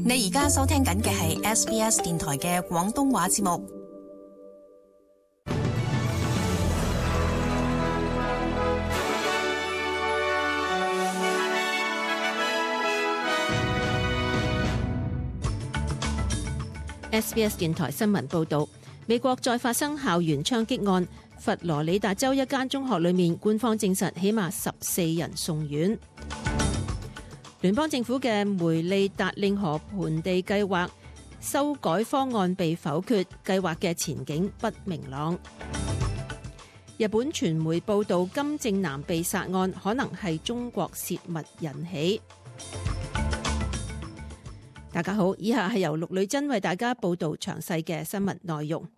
你而家收聽緊嘅係 SBS 電台嘅廣東話節目。SBS 電台新聞報導，美國再發生校園槍擊案，佛羅里達州一間中學裏面，官方證實起碼14人送院。聯邦政府嘅梅利達令河盆地計劃修改方案被否決，計劃嘅前景不明朗。日本傳媒報導金正男被殺案可能係中國洩密引起。大家好，以下係由陸女珍為大家報導詳細嘅新聞內容。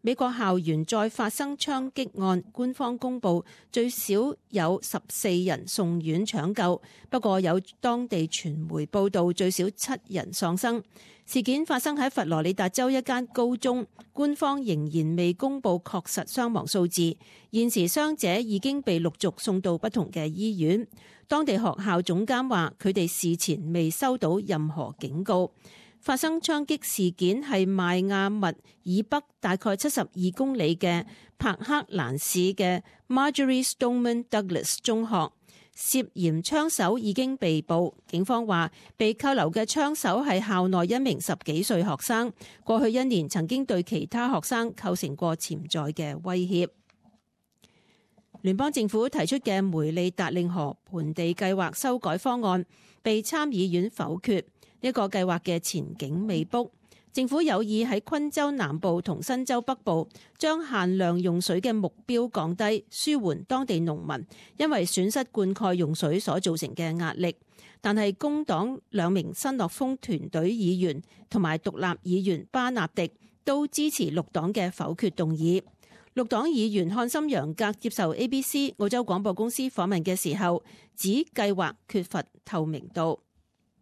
美國校園再發生槍擊案，官方公佈最少有14人送院搶救，不過有當地傳媒報導最少7人喪生。事件發生喺佛羅里達州一間高中，官方仍然未公佈確實傷亡數字。現時傷者已經被陸續送到不同嘅醫院。當地學校總監話，佢哋事前未收到任何警告。發生槍擊事件係邁亞密以北大概72公里嘅柏克蘭市嘅 Marjory Stoneman Douglas 中學，涉嫌槍手已經被捕。警方話，被扣留嘅槍手係校內一名10幾歲學生，過去1年曾經對其他學生構成過潛在嘅威脅。聯邦政府提出嘅梅利達令河盆地計劃修改方案被參議院否決。呢個計劃嘅前景未卜，政府有意喺昆州南部同新州北部將限量用水嘅目標降低，舒緩當地農民因為損失灌溉用水所造成嘅壓力。但係工黨2名新諾豐團隊議員同埋獨立議員巴納迪都支持綠黨嘅否決動議。綠黨議員漢森楊格接受 ABC 澳洲廣播公司訪問嘅時候，指計劃缺乏透明度。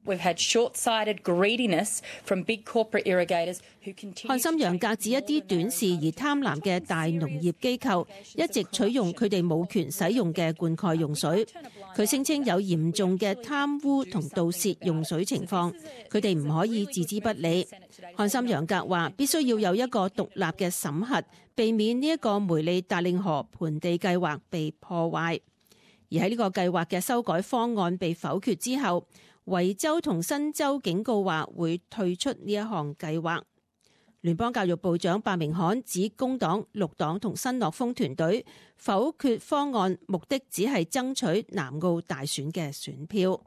We've had short-sighted greediness from big corporate irrigators who continue。漢森楊格指一啲短視而貪婪嘅大農業機構一直取用佢哋冇權使用嘅灌溉用水。佢聲稱有嚴重嘅貪污同盜竊用水情況，佢哋唔可以置之不理。漢森楊格話必須要有一個獨立嘅審核，避免呢一個梅利達令河盆地計劃被破壞。而喺呢個計劃嘅修改方案被否決之後，維州同新州警告話會退出呢一項計劃。聯邦教育部長伯明翰指工黨、綠黨同新諾豐團隊否決方案，目的只係爭取南澳大選嘅選票。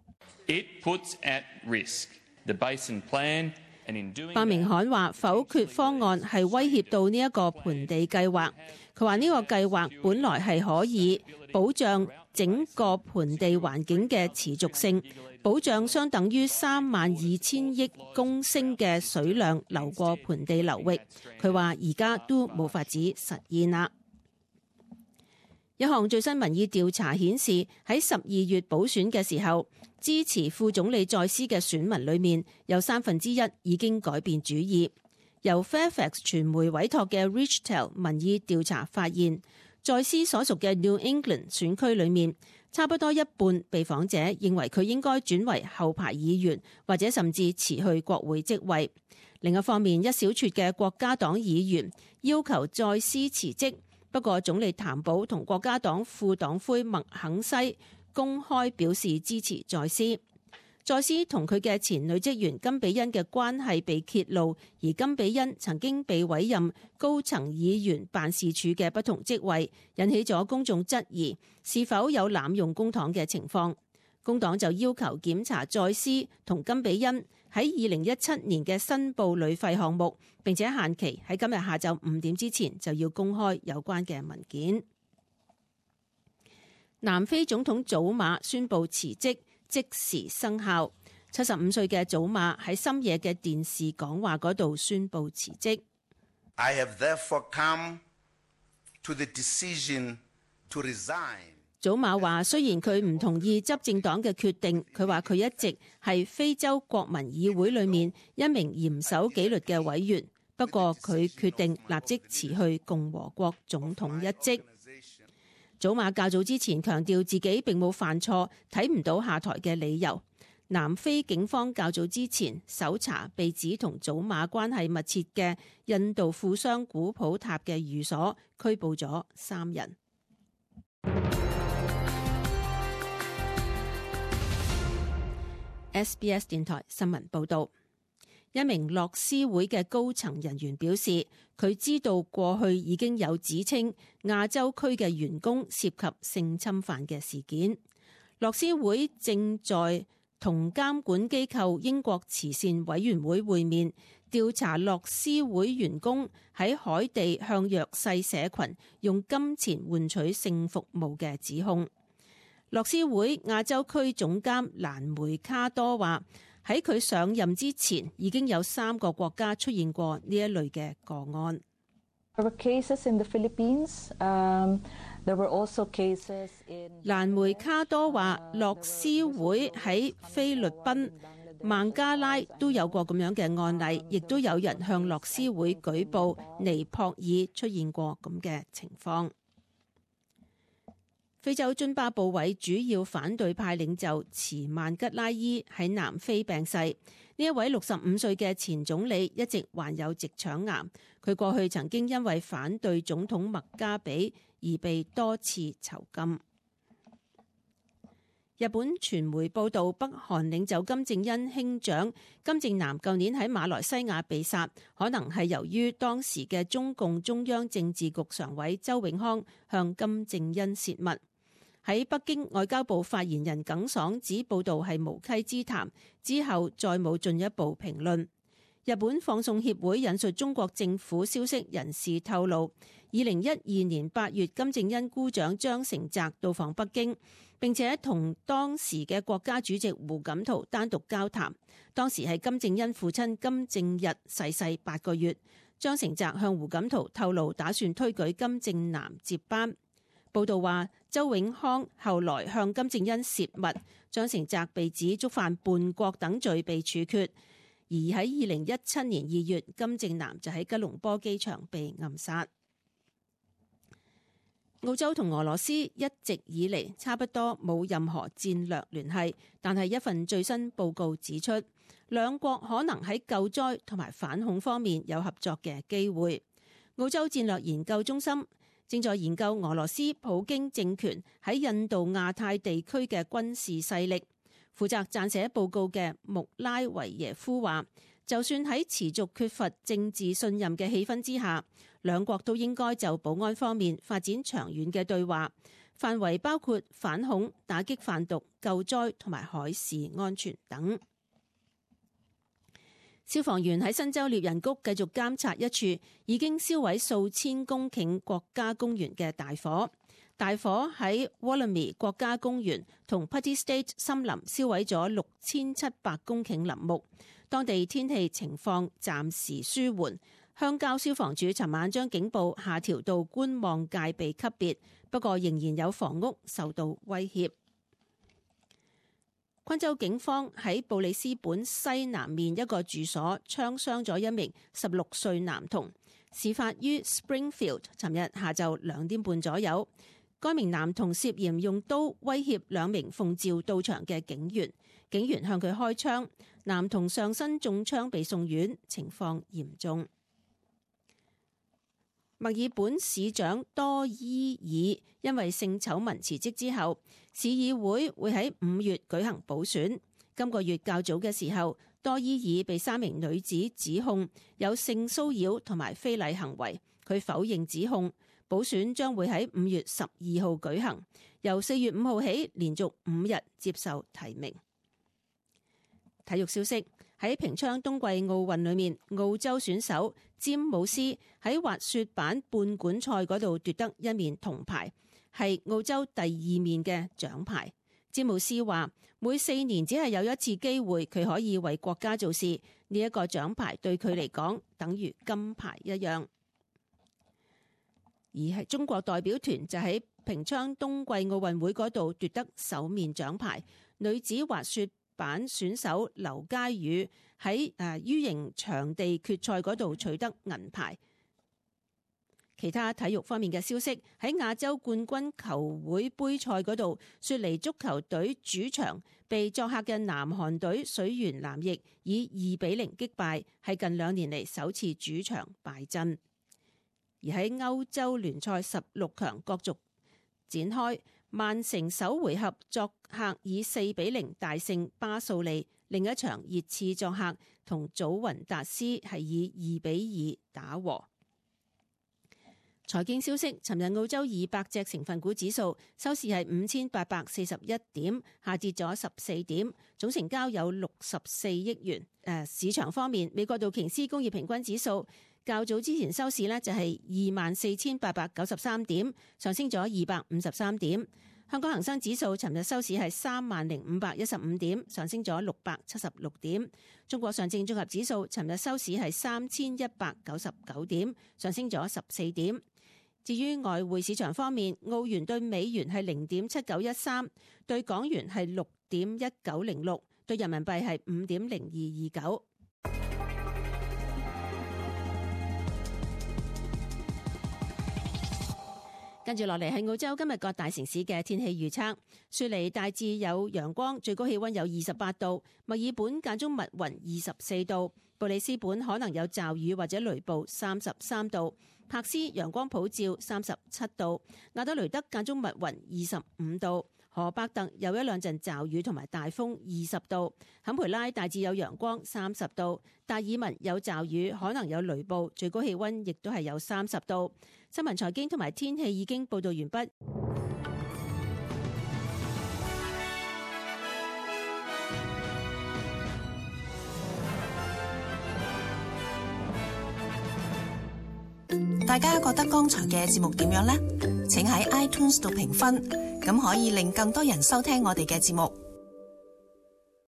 It puts at risk the Basin Plan。伯明翰話否決方案係威脅到呢一個盆地計劃。佢話呢個計劃本來係可以保障整個盆地環境嘅持續性，保障相等於32000億公升嘅水量流過盆地流域。佢話而家都冇法子實現啦。一項最新民意調查顯示，喺12月補選嘅時候，支持副總理再思嘅選民裏面有1/3已經改變主意。由 Fairfax 傳媒委託嘅 Richtel 民意調查發現，再思所屬嘅 New England 選區裏面，差不多一半被訪者認為佢應該轉為後排議員，或者甚至辭去國會職位。另一方面，一小撮嘅國家黨議員要求再思辭職，不過總理譚寶同國家黨副黨魁麥肯西公開表示支持再思。再思同佢嘅前女職員金比恩嘅關係被揭露，而金比恩曾經被委任高層議員辦事處嘅不同職位，引起咗公眾質疑是否有濫用公帑嘅情況。工黨就要求檢查再思同金比恩喺2017年嘅申報旅費項目，並且限期喺今日下晝5點之前就要公開有關嘅文件。南非總統祖馬宣布辭職，即時生效。75歲嘅祖馬喺深夜嘅電視講話嗰度宣布辭職。I have therefore come to the decision to resign。祖馬話，雖然佢唔同意執政黨嘅決定，佢話佢一直係非洲國民議會裏面一名嚴守紀律嘅委員，不過佢決定立即辭去共和國總統一職。祖馬較早之前強調自己並冇犯錯，睇唔到下台嘅理由。南非警方較早之前搜查被指同祖馬關係密切嘅印度富商古普塔嘅寓所，拘捕咗3人。SBS 電台新聞報導，一名樂施會嘅高層人員表示，佢知道過去已經有指稱亞洲區嘅員工涉及性侵犯嘅事件。樂施會正在同監管機構英國慈善委員會會面，調查樂施會員工喺海地向弱勢社群用金錢換取性服務嘅指控。樂施會亞洲區總監蘭梅卡多話，喺佢上任之前已經有3個國家出現過呢一類嘅個案。蘭梅卡多話，樂施會喺菲律賓、孟加拉都有過咁樣嘅案例，亦都有人向樂施會舉報尼泊爾出現過咁嘅情況。非洲津巴布韋主要反對派領袖茨曼吉拉伊喺南非病逝。呢一位65歲嘅前總理一直患有直腸癌，佢過去曾經因為反對總統麥加比而被多次囚禁。日本傳媒報道，北韓領袖金正恩兄長金正男舊年喺馬來西亞被殺，可能係由於當時嘅中共中央政治局常委周永康向金正恩洩密。喺北京外交部發言人耿爽指報道係無稽之談，之後再冇進一步評論。日本放送協會引述中國政府消息人士透露，2012年8月金正恩姑丈張成澤到訪北京，並且同當時嘅國家主席胡錦濤單獨交談。當時係金正恩父親金正日逝世8個月，張成澤向胡錦濤透露打算推舉金正男接班。報道話，周永康後來向金正恩洩密，張成澤被指觸犯叛國等罪被處決。而喺2017年2月，金正男就喺吉隆坡機場被暗殺。澳洲同俄羅斯一直以嚟差不多冇任何戰略聯繫，但係一份最新報告指出，兩國可能喺救災同埋反恐方面有合作嘅機會。澳洲戰略研究中心正在研究俄羅斯普京政權喺印度亞太地區嘅軍事勢力。負責撰寫報告嘅穆拉維耶夫話，就算喺持續缺乏政治信任嘅氣氛之下，兩國都應該就保安方面發展長遠嘅對話，範圍包括反恐、打擊販毒、救災同埋海事安全等。消防員喺新州獵人谷繼續監察一處已經燒毀數千公頃國家公園嘅大火。大火喺 Wollemi 國家公園同 Putty State 森林燒毀咗6700公頃林木，當地天氣情況暫時舒緩。鄉郊消防處尋晚將警報下調到觀望戒備級別，不過仍然有房屋受到威脅。昆州警方喺布里斯本西南面一個住所槍傷咗一名16歲男童，事發於 Springfield， 尋日下晝2點半左右。該名男童涉嫌用刀威脅2名奉召到場嘅警員，警員向佢開槍，男童上身中槍被送院，情況嚴重。墨爾本市長多伊爾因為性醜聞辭職之後，市議會會喺5月舉行補選。今個月較早嘅時候，多伊爾被3名女子指控有性騷擾同埋非禮行為，佢否認指控。補選將會喺5月12號舉行，由4月5號起連續5日接受提名。體育消息，喺平昌冬季奧運裏面，澳洲選手詹姆斯喺滑雪板半管賽嗰度奪得1面銅牌，係澳洲第2面嘅獎牌。詹姆斯話，每4年只係有一次機會佢可以為國家做事，呢一個獎牌對佢嚟講等於金牌一樣。而係中國代表團就喺平昌冬季奧運會嗰度奪得首面獎牌，女子滑雪板選手劉佳宇喺 U 型場地決賽嗰度取得銀牌。其他體育方面嘅消息，喺亞洲冠軍球會杯賽嗰度，雪梨足球隊主場被作客嘅南韓隊水原南翼以2-0擊敗，係近2年嚟首次主場敗陣。而喺歐洲聯賽16強角逐展開，曼城首回合作客以4-0大勝巴素利，另一場熱刺作客同祖雲達斯係以2-2打和。財經消息，尋日澳洲200隻成分股指數收市係5841點，下跌咗14點，總成交有64億元。市場方面，美國道瓊斯工業平均指數較早之前收市呢就係24,893點，上升咗253點。香港恒生指數尋日收市係30,515點，上升咗676點。中國上證綜合指數尋日收市係3199點，上升咗14點。至於外匯市場方面，澳元對美元係0.7913，對港元係6.1906，對人民幣係5.0229。跟住落嚟係澳洲今日各大城市嘅天氣預測。雪梨大致有陽光，最高氣溫有28度；墨爾本間中密雲24度；布里斯本可能有驟雨或者雷暴33度；柏斯陽光普照37度；亞德雷德間中密雲25度；荷伯特有一兩陣驟雨同埋大風20度；坎培拉大致有陽光30度；達爾文有驟雨可能有雷暴，最高氣溫亦都係有30度。新聞財經同埋天氣已經報道完畢。大家覺得剛才嘅節目點樣呢？請喺 iTunes 度評分，咁可以令更多人收聽我哋嘅節目。